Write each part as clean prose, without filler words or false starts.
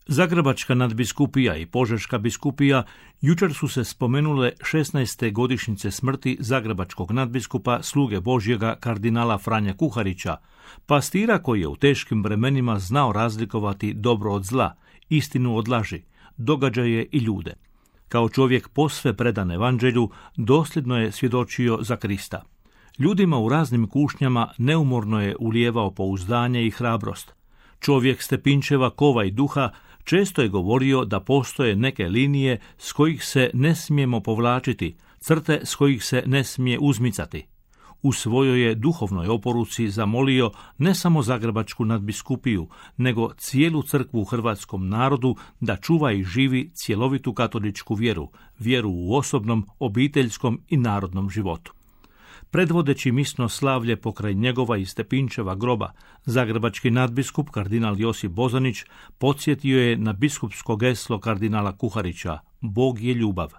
Zagrebačka nadbiskupija i Požeška biskupija jučer su se spomenule 16. godišnjice smrti zagrebačkog nadbiskupa, sluge Božjega kardinala Franje Kuharića, pastira koji je u teškim vremenima znao razlikovati dobro od zla, istinu od laži, događaje i ljude. Kao čovjek posve predan evanđelju, dosljedno je svjedočio za Krista. Ljudima u raznim kušnjama neumorno je ulijevao pouzdanje i hrabrost. Čovjek Stepinčeva kova i duha često je govorio da postoje neke linije s kojih se ne smijemo povlačiti, crte s kojih se ne smije uzmicati. U svojoj je duhovnoj oporuci zamolio ne samo Zagrebačku nadbiskupiju, nego cijelu crkvu u hrvatskom narodu da čuva i živi cjelovitu katoličku vjeru, vjeru u osobnom, obiteljskom i narodnom životu. Predvodeći misno slavlje pokraj njegova i Stepinčeva groba, zagrebački nadbiskup kardinal Josip Bozanić podsjetio je na biskupsko geslo kardinala Kuharića: Bog je ljubav.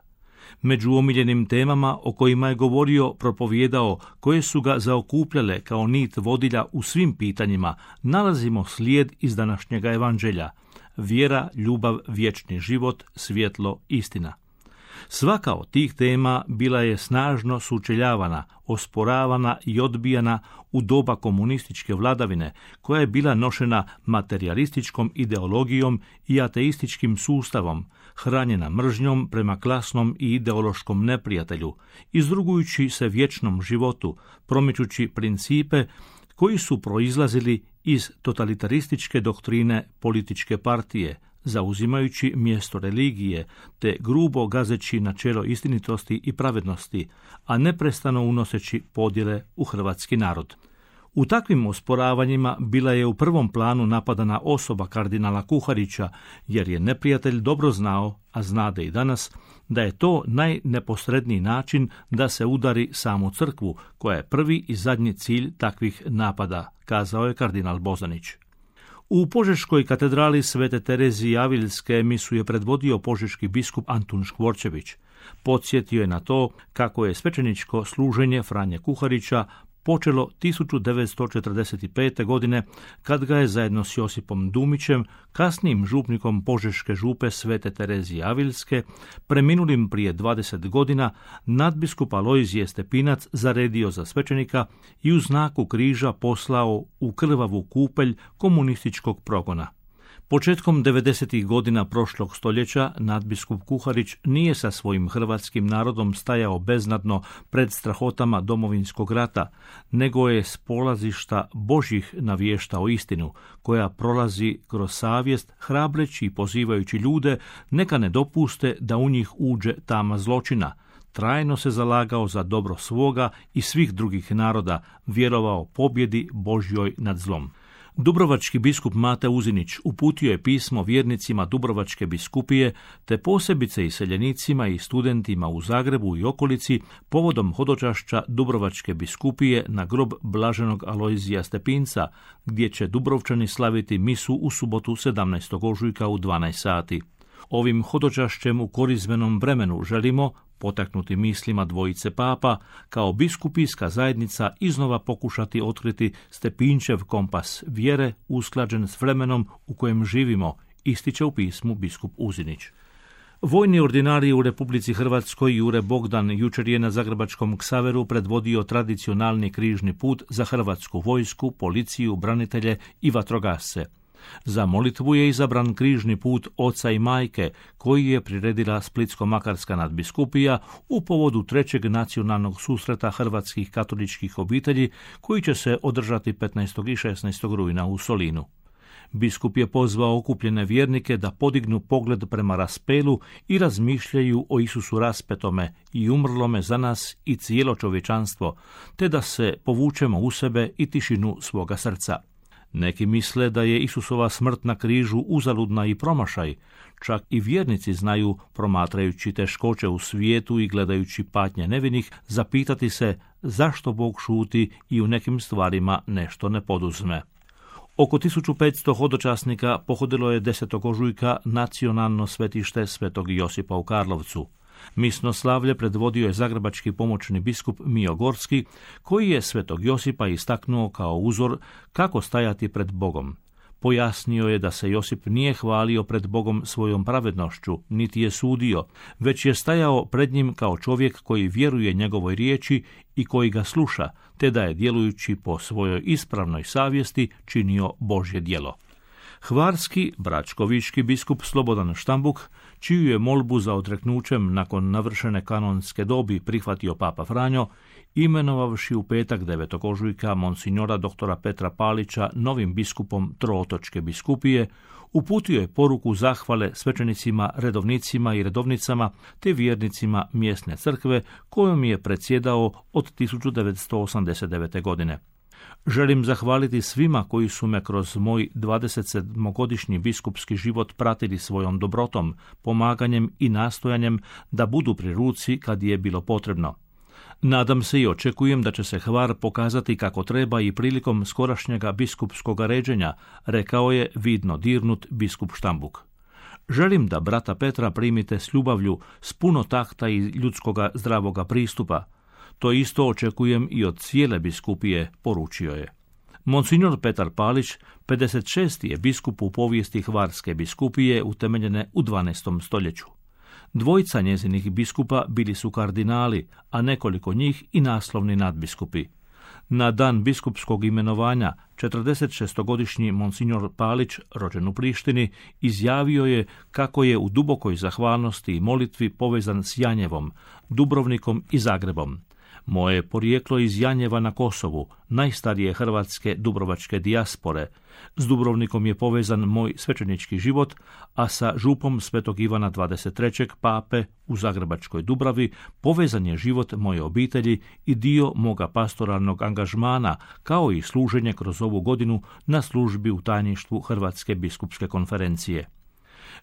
Među omiljenim temama o kojima je govorio, propovijedao, koje su ga zaokupljale kao nit vodilja u svim pitanjima, nalazimo slijed iz današnjega evanđelja: vjera, ljubav, vječni život, svjetlo, istina. Svaka od tih tema bila je snažno sučeljavana, osporavana i odbijana u doba komunističke vladavine, koja je bila nošena materijalističkom ideologijom i ateističkim sustavom, hranjena mržnjom prema klasnom i ideološkom neprijatelju, izrugujući se vječnom životu, promičući principe koji su proizlazili iz totalitarističke doktrine političke partije, zauzimajući mjesto religije, te grubo gazeći načelo istinitosti i pravednosti, a neprestano unoseći podjele u hrvatski narod. U takvim osporavanjima bila je u prvom planu napadana osoba kardinala Kuharića, jer je neprijatelj dobro znao, a znade i danas, da je to najneposredniji način da se udari samu crkvu, koja je prvi i zadnji cilj takvih napada, kazao je kardinal Bozanić. U Požeškoj katedrali Svete Terezije Aviljske misu je predvodio požeški biskup Antun Škvorčević. Podsjetio je na to kako je svećeničko služenje Franje Kuharića počelo 1945. godine, kad ga je zajedno s Josipom Dumićem, kasnijim župnikom Požeške župe Svete Terezije Aviljske, preminulim prije 20 godina, nadbiskup Alojzije Stepinac zaredio za svećenika i u znaku križa poslao u krvavu kupelj komunističkog progona. Početkom 90. godina prošlog stoljeća nadbiskup Kuharić nije sa svojim hrvatskim narodom stajao beznadno pred strahotama Domovinskog rata, nego je s polazišta Božjih navještao istinu, koja prolazi kroz savjest, hrabreći i pozivajući ljude neka ne dopuste da u njih uđe tama zločina. Trajno se zalagao za dobro svoga i svih drugih naroda, vjerovao pobjedi Božjoj nad zlom. Dubrovački biskup Mate Uzinić uputio je pismo vjernicima Dubrovačke biskupije, te posebice iseljenicima i studentima u Zagrebu i okolici povodom hodočašća Dubrovačke biskupije na grob blaženog Alojzija Stepinca, gdje će Dubrovčani slaviti misu u subotu 17. ožujka u 12 sati. Ovim hodočašćem u korizmenom vremenu želimo, potaknuti mislima dvojice papa, kao biskupijska zajednica iznova pokušati otkriti Stepinčev kompas vjere usklađen s vremenom u kojem živimo, ističe u pismu biskup Uzinić. Vojni ordinarij u Republici Hrvatskoj Jure Bogdan jučer je na zagrebačkom Ksaveru predvodio tradicionalni križni put za hrvatsku vojsku, policiju, branitelje i vatrogasce. Za molitvu je izabran križni put oca i majke, koji je priredila Splitsko-makarska nadbiskupija u povodu 3. nacionalnog susreta hrvatskih katoličkih obitelji, koji će se održati 15. i 16. rujna u Solinu. Biskup je pozvao okupljene vjernike da podignu pogled prema raspelu i razmišljaju o Isusu raspetome i umrlome za nas i cijelo čovječanstvo, te da se povučemo u sebe i tišinu svoga srca. Neki misle da je Isusova smrt na križu uzaludna i promašaj, čak i vjernici znaju, promatrajući teškoće u svijetu i gledajući patnje nevinih, zapitati se zašto Bog šuti i u nekim stvarima nešto ne poduzme. Oko 1500 hodočasnika pohodilo je 10. ožujka nacionalno svetište Svetog Josipa u Karlovcu. Misno slavlje predvodio je zagrebački pomoćni biskup Mijo Gorski, koji je Svetog Josipa istaknuo kao uzor kako stajati pred Bogom. Pojasnio je da se Josip nije hvalio pred Bogom svojom pravednošću, niti je sudio, već je stajao pred njim kao čovjek koji vjeruje njegovoj riječi i koji ga sluša, te da je djelujući po svojoj ispravnoj savjesti činio Božje djelo. Hvarski bračkovički biskup Slobodan Štambuk, čiju je molbu za odreknućem nakon navršene kanonske dobi prihvatio Papa Franjo, imenovavši u petak 9. ožujka monsignora doktora Petra Palića novim biskupom Trootočke biskupije, uputio je poruku zahvale svećenicima, redovnicima i redovnicama te vjernicima mjesne crkve kojom je predsjedao od 1989. godine. Želim zahvaliti svima koji su me kroz moj 27-godišnji biskupski život pratili svojom dobrotom, pomaganjem i nastojanjem da budu pri ruci kad je bilo potrebno. Nadam se i očekujem da će se Hvar pokazati kako treba i prilikom skorašnjega biskupskog ređenja, rekao je vidno dirnut biskup Štambuk. Želim da brata Petra primite s ljubavlju, s puno takta i ljudskoga zdravoga pristupa. To isto očekujem i od cijele biskupije, poručio je. Monsignor Petar Palić, 56. je biskup u povijesti Hvarske biskupije utemeljene u 12. stoljeću. Dvojica njezinih biskupa bili su kardinali, a nekoliko njih i naslovni nadbiskupi. Na dan biskupskog imenovanja 46-godišnji monsignor Palić, rođen u Prištini, izjavio je kako je u dubokoj zahvalnosti i molitvi povezan s Janjevom, Dubrovnikom i Zagrebom. Moje porijeklo iz Janjeva na Kosovu, najstarije hrvatske dubrovačke dijaspore. S Dubrovnikom je povezan moj svećenički život, a sa župom Svetog Ivana 23. pape u Zagrebačkoj Dubravi povezan je život moje obitelji i dio moga pastoralnog angažmana, kao i služenje kroz ovu godinu na službi u tajništvu Hrvatske biskupske konferencije.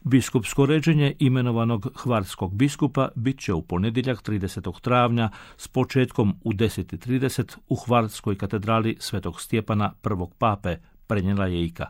Biskupsko ređenje imenovanog hvarskog biskupa bit će u ponedjeljak 30. travnja s početkom u 10:30 u Hvarskoj katedrali Svetog Stjepana prvog pape, prenijela je IKA.